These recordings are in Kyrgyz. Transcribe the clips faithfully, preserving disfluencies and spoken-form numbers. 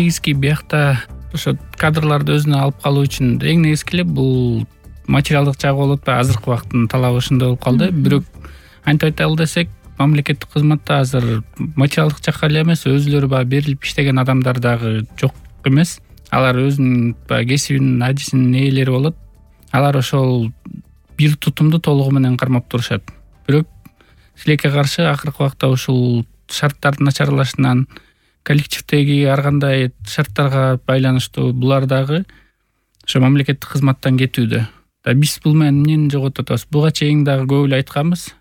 негизги биякта ошо кадрларды өзүнө алып калуу үчүн эң негизги эле бул материалдык жагы болуп атпайбы, азыркы убакыттын талабы ушундай болуп калды. Бирок антип айталы десек, мамлекеттик кызматта азыр материалдык жакка эле эмес, өзүлөрү баягы берилип иштеген адамдар дагы жок эмес. Алар өзүнүн баягы кесибинин, адисинин ээлери болот. Алар ошол бир тутумду толугу менен кармап турушат. Бирок тилекке каршы акыркы убакта ушул шарттардын начарлашынан, коллективдеги ар кандай шарттарга байланыштуу булар дагы ошо мамлекеттик кызматтан кетүүдө. Да биз бул менен эмнени жоготуп атабыз? Буга чейин дагы көп эле айтканбыз.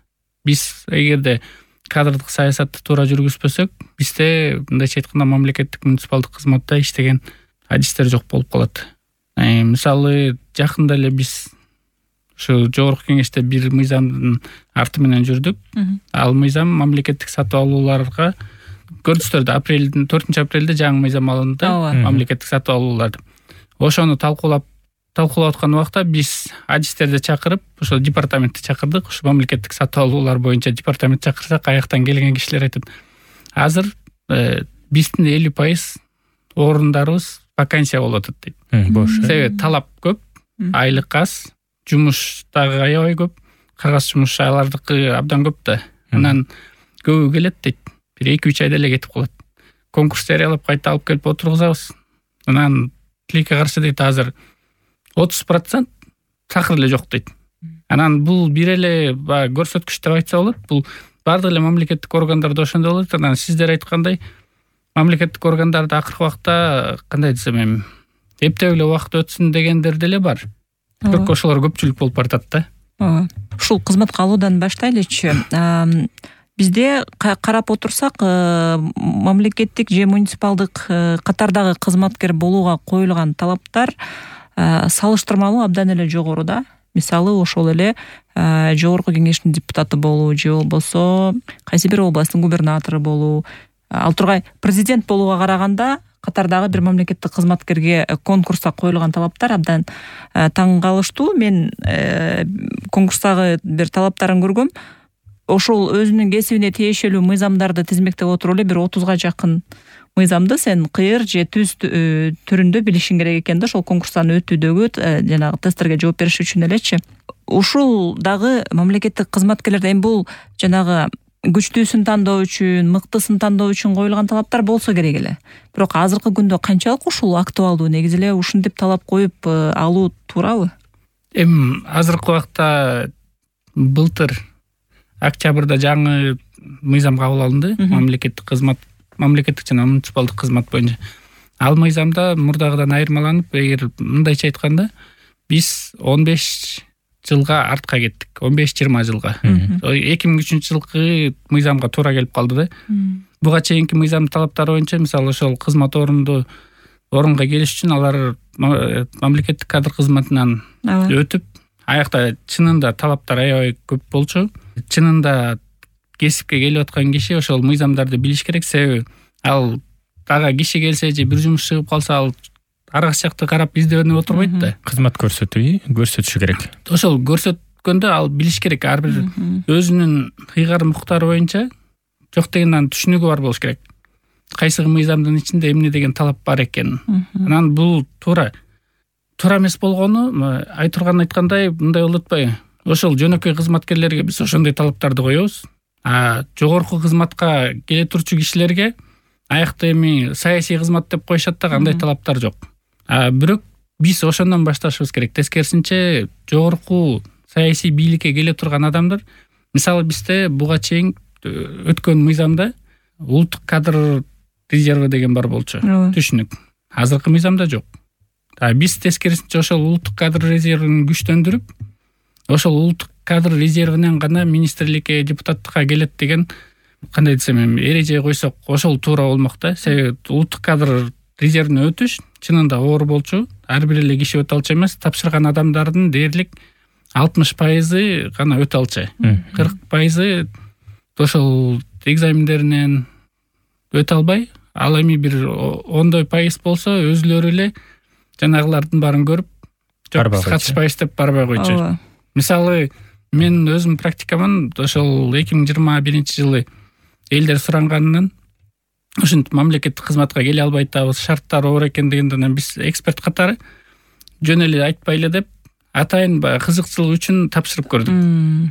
Биз эгерде кадрдык саясатты туура жүргүзбөсөк, бизде мындайча айтканда мамлекеттик муниципалдык кызматта иштеген адистер жок болуп калат. Мисалы, жакында эле биз ушу жогорку кеңеште бир мыйзамдын арты менен жүрдүк. Ал мыйзам мамлекеттик сатып алууларга көрдүңүздөр, апрелдин төртүнчү апрелде жаңы мыйзам алынды, мамлекеттик сатып алууларды. Ошону талкуулап талкуулап аткан убакта биз адистерди чакырып, ошо департаментти чакырдык. Ушу мамлекеттик сатып алуулар боюнча департамент чакырсак, аяктан келген кишилер айтат: азыр биздин элүү пайыз орундарыбыз вакансия болуп атат дейт. Бош. Себеби талап көп, айлык аз, жумуш дагы аябай көп, кагаз жумуш алардыкы абдан көп да. Анан көбү келет дейт. Бир эки үч айда эле кетип калат. Конкурс жарыялап кайта алып келип отургузабыз. Анан тилекке каршы дейт, азыр отуз процент такыр эле жок дейт. Анан бул бир эле баягы көрсөткүч деп айтса болот. Бул бардык эле мамлекеттик органдарда ошондой болот. Анан сиздер айткандай, мамлекеттик органдарда акыркы убакта кандай десем эми, эптеп эле убакыт өтсүн дегендер деле бар. Бирок ошолор көпчүлүк болуп баратат да. Ооба. Ушул кызматка алуудан баштайлычы. Бизде карап отурсак, мамлекеттик же муниципалдык катардагы кызматкер болууга коюлган талаптар салыштырмалуу абдан эле жогору да. Мисалы, ошол эле жогорку кеңештин депутаты болуу же болбосо кайсы бир областтын губернатору болуу, ал тургай президент болууга караганда катардагы бир мамлекеттик кызматкерге конкурста коюлган талаптар абдан таң калыштуу. Мен конкурстагы бир талаптарын көргөм. Ошол өзүнүн кесибине тиешелүү мыйзамдарды тизмектеп отуруп эле бир отузга жакын мыйзамды сен кыйыр же түз түрүндө билишиң керек экен да, ошол конкурстан өтүүдөгү жанагы тесттерге жооп бериш үчүн элечи. Ушул дагы мамлекеттик кызматкерлерде эми бул жанагы күчтүүсүн тандоо үчүн, мыктысын тандоо үчүн коюлган талаптар болсо керек эле. Бирок азыркы күндө канчалык ушул актуалдуу, негизи эле ушинтип талап коюп алуу туурабы? Эми азыркы убакта былтыр октябрда жаңы мыйзам кабыл алынды, мамлекеттик кызмат, мамлекеттик жана муниципалдык кызмат боюнча. Ал мыйзамда мурдагыдан айырмаланып, эгер мындайча айтканда, биз он беш жылга артка кеттик, он беш жыйырма жылга. эки миң үчүнчү жылкы мыйзамга туура келип калды да. Буга чейинки мыйзам талаптары боюнча, мисалы, ошол кызмат орунду орунга келиш үчүн алар мамлекеттик кадр кызматынан өтүп, аякта чынында талаптар аябай көп болчу. Чынында кесипке келип аткан киши ошол мыйзамдарды билиш керек. Себеби ал дагы киши келсе же бир жумуш чыгып калса, ал арга жакты карап издебенип отурбайт да. Кызмат көрсөтүү, көрсөтүшү керек. Ошол көрсөткөндө ал билиш керек. Ар бир өзүнүн ыйгар муктары боюнча жок дегенден түшүнүгү бар болуш керек. Кайсы мыйзамдын ичинде эмне деген талап бар экенин. Анан бул туура. Туура эмес болгону айтырган айткандай мындай болуп атпайбы? Ошол жөнөкөй кызматкерлерге биз ошондой талаптарды коебуз. А жогорку кызматка келе турчу кишилерге аякта эми саясий кызмат деп коюшат да, кандай талаптар жок. А бирок биз ошондон башташыбыз керек. Тескерисинче, жогорку саясий бийликке келе турган адамдар, мисалы, бизде буга чейин өткөн мыйзамда улуттук кадр резерви деген бар болчу, түшүнүк. Азыркы мыйзамда жок. А биз тескерисинче ошол улуттук кадр резервин күчтөндүрүп, ошол улуттук кадр резервинен гана министрликке, депутаттыкка келет деген, кандай десем эми, эреже койсок, ошол туура болмок да. Себеби улуттук кадр резервине өтүш чынында оор болчу. Ар бир эле киши өтө алчу эмес, тапшырган адамдардын дээрлик алтымыш пайызы гана өтө алчу. кырк пайызы ошол экзамендеринен өтө албай, ал эми бир ондой пайыз болсо өзүлөрү эле жанагылардын баарын көрүп, жок, катышпайбыз деп барбай койчу. Мисалы, мен өзүм практикаман ошол эки миң жыйырма биринчи жылы элдер суранганынан ушинтип мамлекеттик кызматка келе албай атабыз, шарттары оор экен дегенде анан биз эксперт катары жөн эле айтпайлы деп атайын баягы кызыкчылык үчүн тапшырып көрдүк.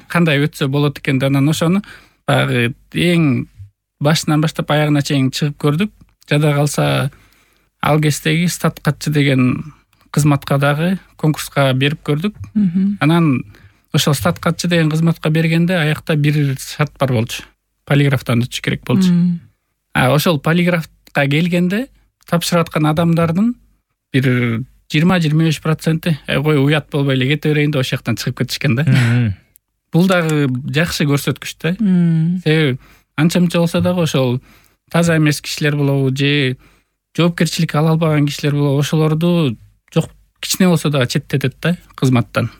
Кандай өтсө болот экен деп анан ошону баягы эң башынан баштап аягына чейин чыгып көрдүк. Жада калса ал кездеги статкатчы деген кызматка дагы конкурска берип көрдүк. Анан ошол статкатчы деген кызматка бергенде аякта бир шарт бар болчу. Полиграфтан өтүш керек болчу. А ошол полиграфка келгенде тапшырып аткан адамдардын бир жыйырма жыйырма беш проценти кой уят болбой эле кете берейин деп ошол жактан чыгып кетишкен да. Бул дагы жакшы көрсөткүч да. Себеби анча мынча болсо дагы ошол таза эмес кишилер болобу же жоопкерчилик ала албаган кишилер болобу, ошолорду жок кичине болсо дагы четтетет да кызматтан.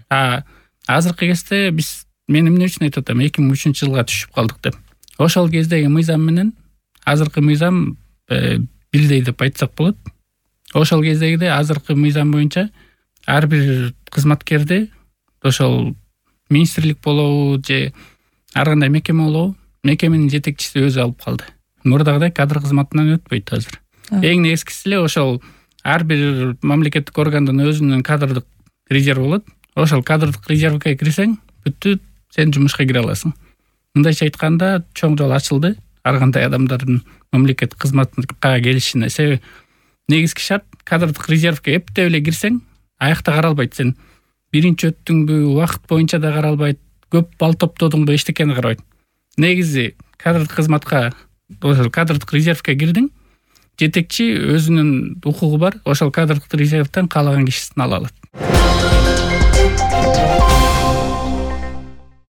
А азыркы кезде биз мен эмне үчүн айтып атам, эки миң үчүнчү жылга түшүп калдык деп. Ошол кездеги мыйзам менен азыркы мыйзам бирдей деп айтсак болот. Ошол кездегиде азыркы мыйзам боюнча ар бир кызматкерди ошол министрлик болобу же ар кандай мекеме болобу, мекеменин жетекчиси өзү алып калды. Мурдагыдай кадр кызматынан өтпөйт азыр. Эң негизгиси эле ошол ар бир мамлекеттик органдын өзүнүн кадрдык резерви болот. Ошол кадрдык резервге кирсең, бүттү, сен жумушка кире аласың. Мындайча айтканда, чоң жол ачылды ар кандай адамдардын мамлекеттик кызматка келишине. Себеби негизги шарт кадрдык резервге эптеп эле кирсең, аякта каралбайт. Сен биринчи өттүңбү, убакыт боюнча да каралбайт, көп балл топтодуңбу, эчтекени карабайт. Негизи кадрдык кызматка, ошол кадрдык резервге кирдиң, жетекчи өзүнүн укугу бар, ошол кадрдык резервден каалаган кишисин ала алат.